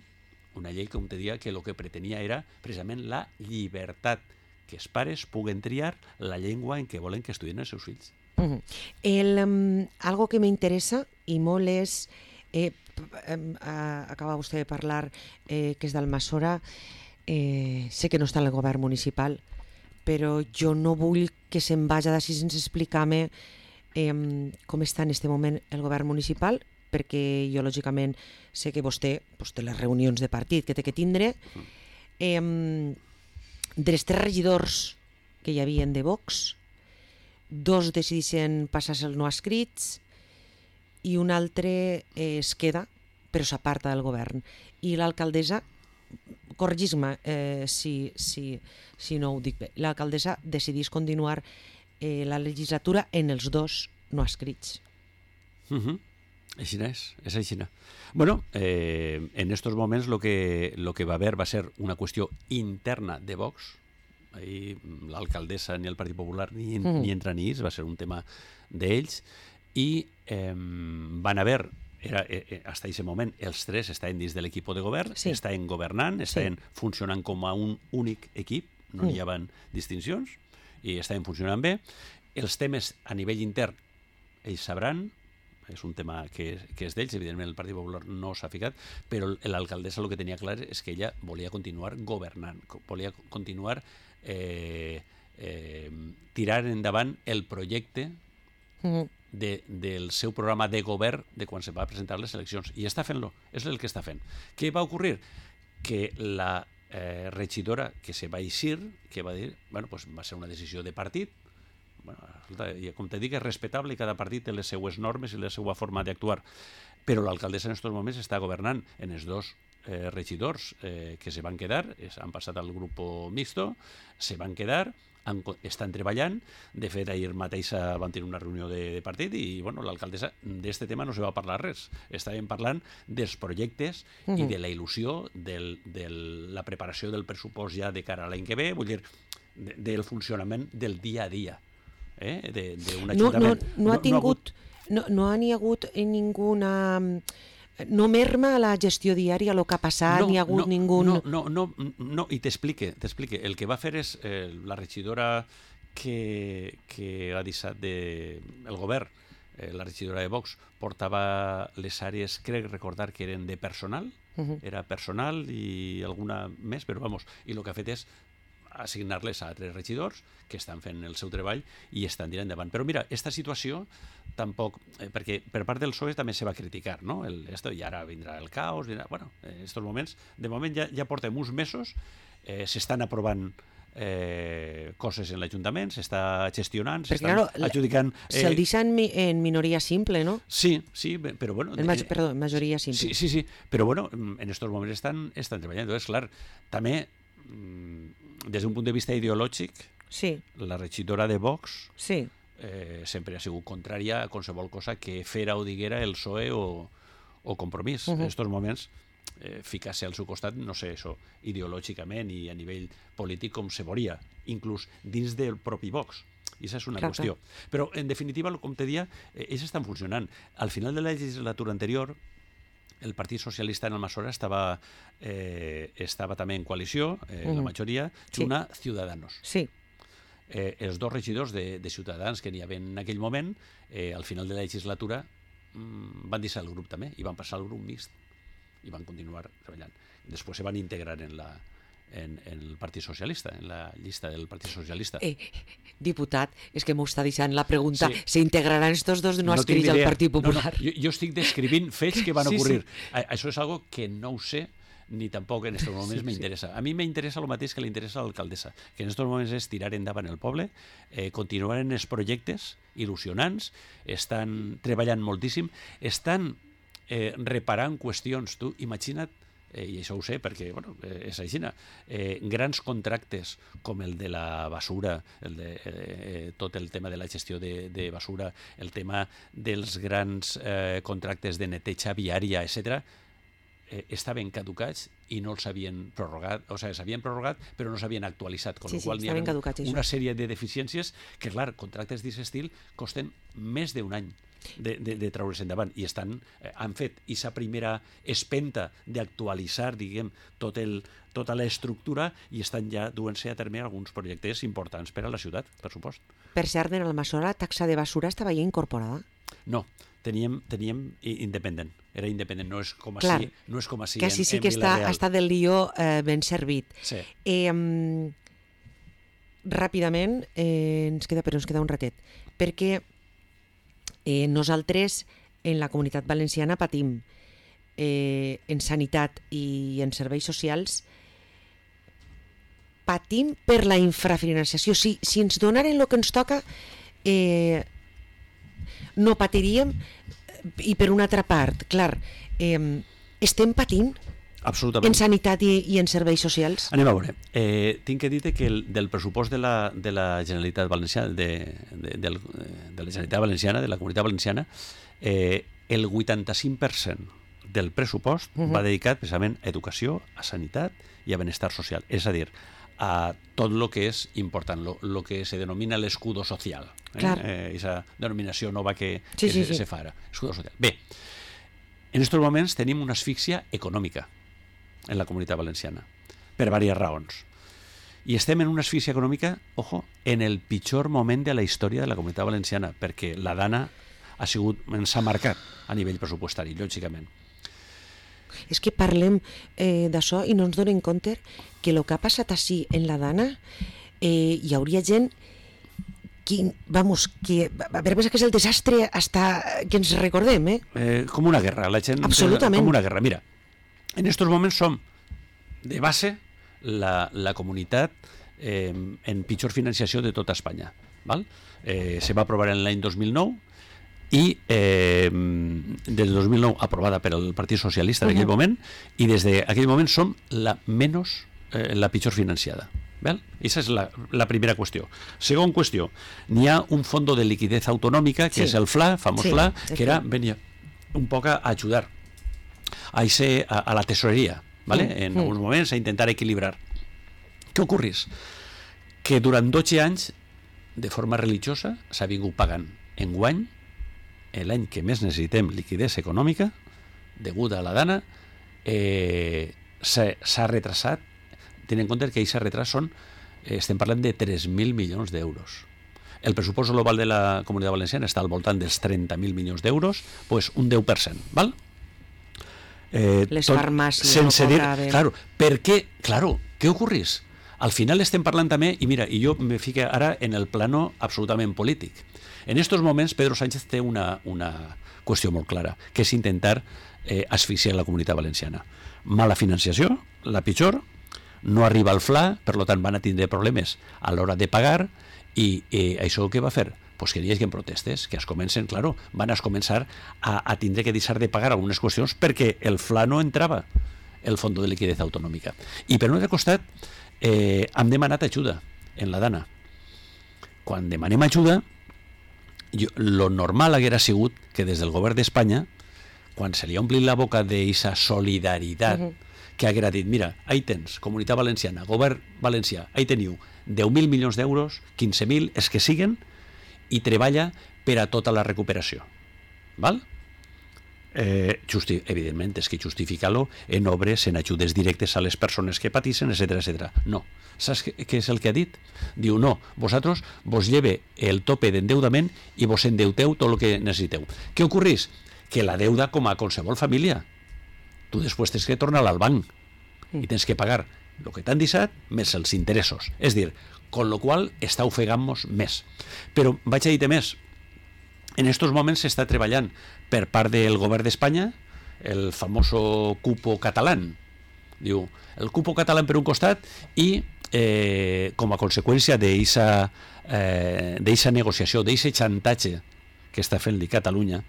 com te deia, que el que pretenia era precisament la llibertat, que els pares puguen triar la llengua en què volen que estudien els seus fills. Algo que me interesa i molt és, acaba vostè de parlar, que és d'Almassora, sé que no està en el govern municipal, però jo no vull que se'n vagi d'ací sense explicar-me com està en aquest moment el govern municipal, perquè jo lògicament sé que vostè té les reunions de partit que té que tindre. Dels 3 regidors que hi havia de Vox, 2 decideixen passar-se el no escrits i un altre es queda, però s'aparta del govern. I l'alcaldessa, corregis-me si no ho dic bé, l'alcaldessa decideix continuar la legislatura en els 2 no escrits. Així és així. Bueno, en estos moments lo que va haver va ser una qüestió interna de Vox. Ahí l'alcaldessa ni el Partit Popular ni entra ni va ser un tema d'ells, i van haver, hasta aquest moment, els 3 estaven dins de l'equip de govern, estaven governant, estaven funcionant com a un únic equip, no hi havia distincions, i estaven funcionant bé. Els temes a nivell intern ells sabran, és un tema que és d'ells, evidentment el Partit Popular no s'ha ficat, però l'alcaldessa el que tenia clar és que ella volia continuar governant, volia continuar tirant endavant el projecte del seu programa de govern de quan se va presentar les eleccions, i està fent-lo, és el que està fent. Què va ocórrer? Que la regidora que se va eixir, que va dir, bueno, pues va ser una decisió de partit, com te dic, és respectable i cada partit té les seues normes i la seva forma d'actuar, però l'alcaldessa en aquests moments està governant en els 2 regidors que se van quedar, han passat al grup mixto, se van quedar, estan treballant. De fet, ahir mateix van tenir una reunió de partit i l'alcaldessa d'aquest tema no se va parlar res. Estàvem parlant dels projectes i de la il·lusió, de la preparació del pressupost ja de cara a l'any que ve, vull dir, del funcionament del dia a dia d'un ajuntament. No n'hi ha hagut ninguna... No merma la gestió diària, el que ha passat, ni ha hagut ningú... No, i t'explique. El que va fer és la regidora que ha deixat el govern, la regidora de Vox, portava les àrees, crec recordar que eren de personal, era personal i alguna més, però i el que ha fet és assignar-les a altres regidors que estan fent el seu treball i estan tirant endavant. Però mira, aquesta situació tampoc, perquè per part del PSOE també se va criticar, no? I ara vindrà el caos, en aquests moments, de moment ja portem uns mesos, s'estan aprovant coses en l'Ajuntament, s'està gestionant, s'estan adjudicant... Se'l deixa en minoria simple, no? Sí, però bueno... Perdó, en majoria simple. Sí, però bueno, en aquests moments estan treballant. És clar, també des d'un punt de vista ideològic, la regidora de Vox sempre ha sigut contrària a qualsevol cosa que fera o diguera el PSOE o Compromís. En aquests moments, ficar-se al seu costat, no sé, això, ideològicament i a nivell polític com se veuria, inclús dins del propi Vox. I això és una qüestió. Però, en definitiva, com te deia, ells estan funcionant. Al final de la legislatura anterior, el Partit Socialista en Almassora estava també en coalició, la majoria, junt a Ciudadanos. Sí. Els 2 regidors de Ciutadans que n'hi havia en aquell moment, al final de la legislatura, van deixar el grup també i van passar al grup mixt i van continuar treballant. Després se van integrar en el Partit Socialista, en la llista del Partit Socialista. Diputat, és que m'ho està deixant la pregunta, ¿s'integraran estos dos no adscrits al Partit Popular? No, jo estic descrivint fets que van ocurrir. Això és algo que no ho sé, ni tampoc en aquests moments m'interessa. A mi m'interessa el mateix que li interessa a l'alcaldessa, que en aquests moments és tirar endavant el poble, continuar en els projectes il·lusionants, estan treballant moltíssim, estan reparant qüestions. Tu imagina't, i això ho sé perquè és així, grans contractes com el de la basura, tot el tema de la gestió de basura, el tema dels grans contractes de neteja viària, etc., estaven caducats i no els havien prorrogat, o sigui, s'havien prorrogat però no s'havien actualitzat, amb la qual cosa n'hi ha una sèrie de deficiències que, clar, contractes d'aquest estil costen més d'un any de treure's endavant i han fet aquesta primera espenta d'actualitzar, diguem, tota l'estructura i estan ja duent-se a terme alguns projectes importants per a la ciutat, per supost. Per cert, en Almassora la taxa de basura estava ja incorporada? No, teníem independent, era independent, no és com així. No és com així que així sí que està del lió ben servit. Sí. Ràpidament, ens queda un ratet, perquè nosaltres en la Comunitat Valenciana patim en sanitat i en serveis socials, patim per la infrafinançació. Si ens donaren el que ens toca, no patiríem. I per una altra part, clar, estem patint en sanitat i en serveis socials? Anem a veure. Tinc que dir que del pressupost de la Generalitat Valenciana, de la Generalitat Valenciana, de la Comunitat Valenciana, el 85% del pressupost va dedicat precisament a educació, a sanitat i a benestar social. És a dir, a tot el que és important, el que se denomina l'escudo social. Esa denominació nova que se fa ara. Escudo social. Bé, en aquests moments tenim una asfíxia econòmica en la Comunitat Valenciana, per diverses raons. I estem en una asfíxia econòmica, ojo, en el pitjor moment de la història de la Comunitat Valenciana, perquè la Dana ens ha marcat a nivell pressupostari, lògicament. És que parlem d'això i no ens donem compte que el que ha passat així en la Dana hi hauria gent que a veure que és el desastre hasta que ens recordem. Com una guerra, la gent... Absolutament. Com una guerra. Mira, en aquests moments som de base la comunitat en pitjor financiació de tota Espanya. Se va aprovar en l'any 2009 i des del 2009 aprovada per el Partit Socialista en aquell moment, i des d'aquell moment som la pitjor financiada. Aquesta és la primera qüestió. Segona qüestió, n'hi ha un fondo de liquidez autonòmica, que és el FLA, famós FLA, que venia un poc a ajudar a la tesoreria, en alguns moments, a intentar equilibrar. Què ocorrís? Que durant 12 anys, de forma religiosa, s'ha vingut pagant enguany, l'any que més necessitem liquidez econòmica, deguda a la Dana, s'ha retrasat. Tenint en compte que aquest retras estem parlant de 3.000 milions d'euros. El pressupost global de la Comunitat Valenciana està al voltant dels 30.000 milions d'euros, doncs un 10%, val? Les farmàcies... Sense dir... Claro, per què? Claro, què ocorrís? Al final estem parlant també, i mira, i jo me fico ara en el plano absolutament polític. En aquests moments Pedro Sánchez té una qüestió molt clara, que és intentar asfixiar la Comunitat Valenciana. Mala financiació, la pitjor, no arriba al FLA, per tant van a tindre problemes a l'hora de pagar, i això què va fer? Pues que hi hagi protestes, que es comencen, claro, van a començar a tindre que deixar de pagar algunes qüestions perquè el FLA no entrava, el Fondo de Liquidez Autonòmica. I per un altre costat, hem demanat ajuda en la Dana. Quan demanem ajuda, lo normal haguera sigut que des del govern d'Espanya, quan se li ha omplit la boca d'aquesta solidaritat, que haguera dit, mira, ahí tens, Comunitat Valenciana, govern valencià, ahí teniu 10.000 milions d'euros, 15.000, els que siguen, i treballa per a tota la recuperació. Val? Evidentment, és que justificar-lo en obres, en ajudes directes a les persones que patixen, etc. No. Saps què és el que ha dit? Diu, no, vosaltres vos lleve el tope d'endeudament i vos endeuteu tot el que necessiteu. Què ocorrís? Que la deuda, com a qualsevol família, tu després tens que tornar al banc i tens que pagar el que t'han deixat més els interessos. És dir, con lo qual està ofegant-nos més. Però vaig a dir-te més, en estos moments s'està treballant per part del govern d'Espanya el famoso cupo català. Diu, el cupo català per un costat i com a conseqüència d'eixa negociació, d'eixe xantatge que està fent-li Catalunya,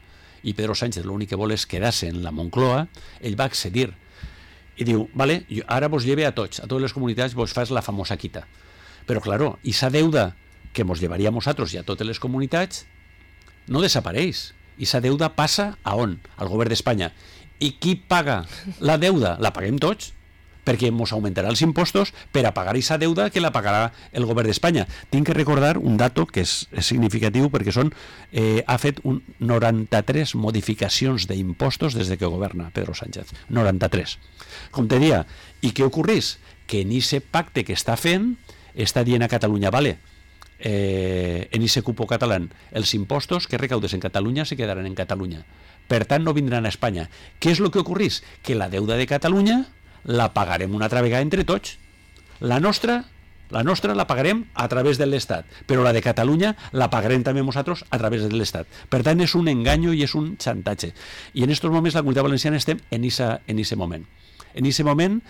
i Pedro Sánchez l'únic que vol és quedar-se en la Moncloa, ell va accedir i diu, vale, ara vos lleve a tots, a totes les comunitats vos fas la famosa quita. Però, claro, esa deuda que mos llevaria a nosaltres i a totes les comunitats no desapareix. Esa deuda passa a on? Al govern d'Espanya. I qui paga la deuda? La paguem tots, perquè ens augmentarà els impostos per a pagar aquesta deuda que la pagarà el govern d'Espanya. Tinc que recordar un dato que és significatiu perquè ha fet 93 modificacions d'impostos des que governa Pedro Sánchez. 93. Com te deia, i què ocorreix? Que en aquest pacte que està fent està dient a Catalunya, vale, en ese cupo català, els impostos que recaudes en Catalunya se quedaran en Catalunya. Per tant, no vindran a Espanya. Què és el que ocorreix? Que la deuda de Catalunya la pagarem una altra vegada entre tots. La nostra la pagarem a través de l'Estat, però la de Catalunya la pagarem també nosaltres a través de l'Estat. Per tant, és un enganyo i és un xantatge. I en aquests moments la Comunitat Valenciana estem en aquest moment. En aquest moment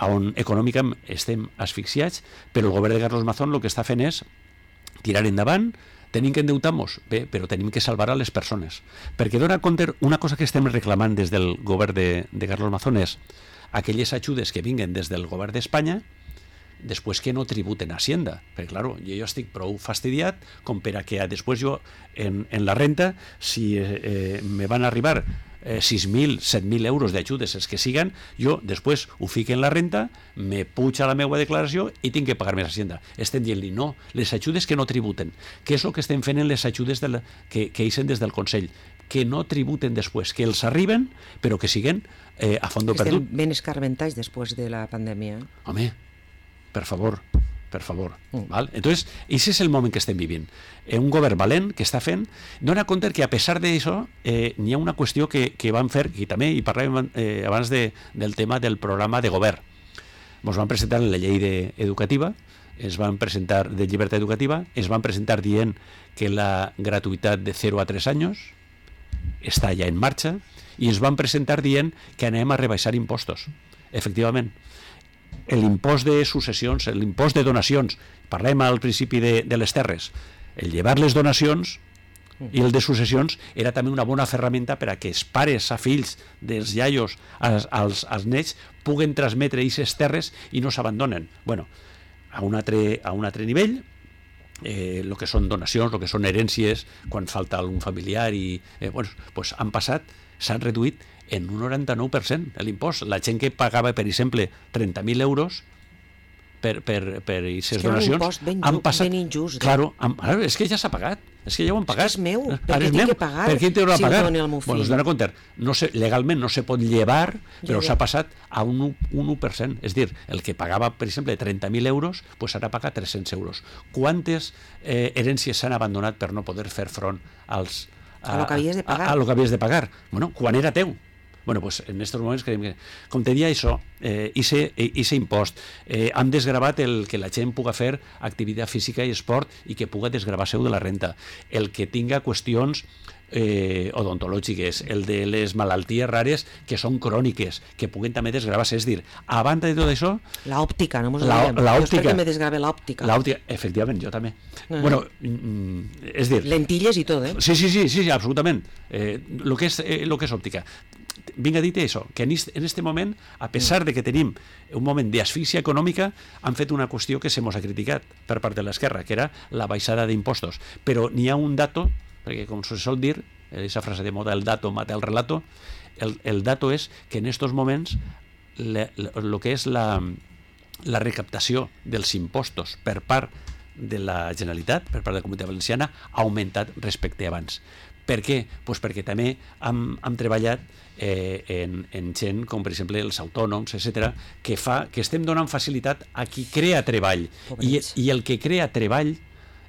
on econòmicament estem asfixiats, però el govern de Carlos Mazón el que està fent és tirar endavant. Tenim que endeutar-nos? Bé, però tenim que salvar a les persones. Perquè dona compte, una cosa que estem reclamant des del govern de Carlos Mazón és aquelles ajudes que vinguen des del govern d'Espanya després que no tributen a Hacienda. Perquè, clar, jo estic prou fastidiat com per a que després jo en la renta, si me van arribar 6.000, 7.000 euros d'ajudes, els que siguen, jo després ho fico en la renta, me puja la meva declaració i tinc que pagar més Hacienda. Estem dient-li, no, les ajudes que no tributen. Què és el que estem fent en les ajudes que eixen des del Consell? Que no tributen després, que els arriben, però que siguen a fondo perdut. Estem ben escarmentats després de la pandèmia. Home, per favor. ¿Vale? Entonces, ese es el moment que estem vivint. Un govern valent que està fent, dona compte que a pesar d'això n'hi ha una qüestió que van fer, i també hi parlàvem abans del tema del programa de govern. Ens van presentar la llei educativa, es van presentar de llibertat educativa, es van presentar dient que la gratuïtat de 0 a 3 anys està ja en marxa, i es van presentar dient que anem a rebaixar impostos. Efectivament, l'impost de successions, l'impost de donacions, parlem al principi de les terres, el llevar les donacions i el de successions era també una bona ferramenta per a que els pares a fills dels iaios als nets puguen transmetre aquestes terres i no s'abandonen. Bueno, a un altre nivell, el que són donacions, el que són herències, quan falta algun familiar, i han passat, s'han reduït en un 99% l'impost. La gent que pagava, per exemple, 30.000 euros per aquestes donacions han passat... ben injust. Claro, és que ja s'ha pagat, és que ja ho han pagat. És meu, per què tinc que pagar? Per què t'ho ha pagat? Bueno, es dona compte, legalment no se pot llevar, però s'ha passat a un 1%. És dir, el que pagava, per exemple, 30.000 euros, ara paga 300 euros. Quantes herències s'han abandonat per no poder fer front a lo que havies de pagar? A lo que havies de pagar. Bueno, quan era teu. Bueno, pues en estos moments creiem que, com te deia això, ese impost, han desgravat el que la gent puga fer activitat física i esport i que puga desgravar-se de la renta. El que tinga qüestions odontològiques, el de les malalties rares que són cròniques, que puguen també desgravar-se. És dir, a banda de tot això... L'òptica, no mos oblidem. Jo espero que me desgrave l'òptica. Efectivament, jo també. Bueno, és dir... Lentilles i tot, Sí, absolutament. Lo que és òptica. Vinc a dir això, que en aquest moment, a pesar de que tenim un moment d'asfíxia econòmica, han fet una qüestió que se mos ha criticat per part de l'esquerra, que era la baixada d'impostos. Però n'hi ha un dato, perquè com se sol dir, aquesta frase de moda, el dato mata el relato, el dato és que en aquests moments el que és la recaptació dels impostos per part de la Generalitat, per part de la Comunitat Valenciana, ha augmentat respecte a abans. Per què? Pues perquè també hem treballat en gent com per exemple els autònoms, etc., que estem donant facilitat a qui crea treball, i el que crea treball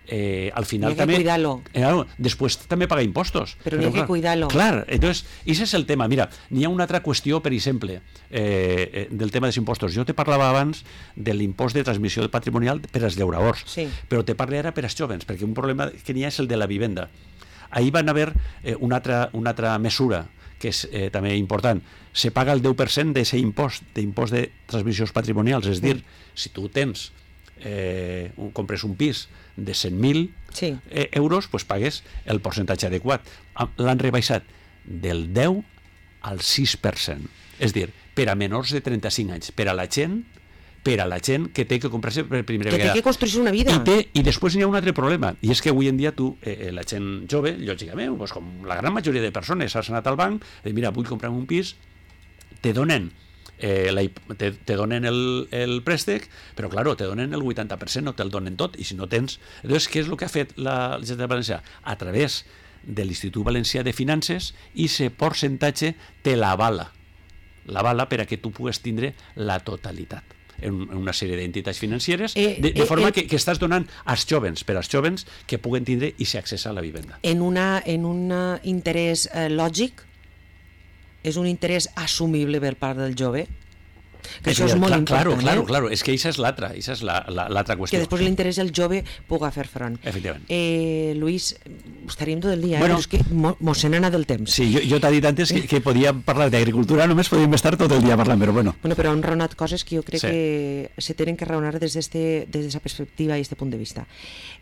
al final hay que també... cuidarlo. Després també paga impostos. Però hay que cuidarlo. Clar, entonces, ese és el tema. Mira, n'hi ha una altra qüestió, per exemple, del tema dels impostos. Jo te parlava abans de l'impost de transmissió patrimonial per als llauradors, sí. Però te parlo ara per als jovens, perquè un problema que n'hi ha és el de la vivenda. Ahir van haver una altra mesura que és també important. Se paga el 10% d'aquest impost de transmissions patrimonials, és dir, si tu tens compres un pis de 100.000 euros, pues pagues el percentatge adequat. L'han rebaixat del 10 al 6%. És dir, per a menors de 35 anys, per a la gent que té que comprar-se per primera vegada. Que té que construir una vida. I després hi ha un altre problema, i és que avui en dia tu, la gent jove, lògicament, pues, com la gran majoria de persones, has anat al banc, mira, vull comprar un pis, te donen el préstec, però claro, te donen el 80%, no te'l donen tot, i si no tens... Llavors, què és el que ha fet la Generalitat Valenciana? A través de l'Institut Valencià de Finances, i aquest percentatge te l'avala per a que tu pugues tindre la totalitat en una sèrie d'entitats financeres, de forma que estàs donant als jovens, per als jovens que puguen tindre i s'accessa a la vivenda. En un interès lògic, és un interès assumible per part del jove, que això és molt important. Claro, és que això és l'altra qüestió. Que després l'interès del jove puga fer front. Efectivament. Luis, estaríem tot el dia, bueno, però és que mos se n'ha anat el temps. Sí, jo t'he dit antes que podíem parlar d'agricultura, només podíem estar tot el dia parlant, però bueno. Però han raonat coses que jo crec que se tenen que raonar des d'aquesta perspectiva i d'aquest punt de vista.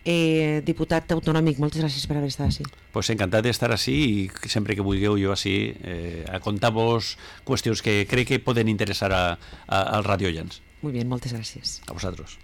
Diputat autonòmic, moltes gràcies per haver estat així. Pues encantat d'estar així i sempre que vulgueu jo així a contar-vos qüestions que crec que poden interessar als radioients. Muy bien, moltes gràcies. A vosaltres.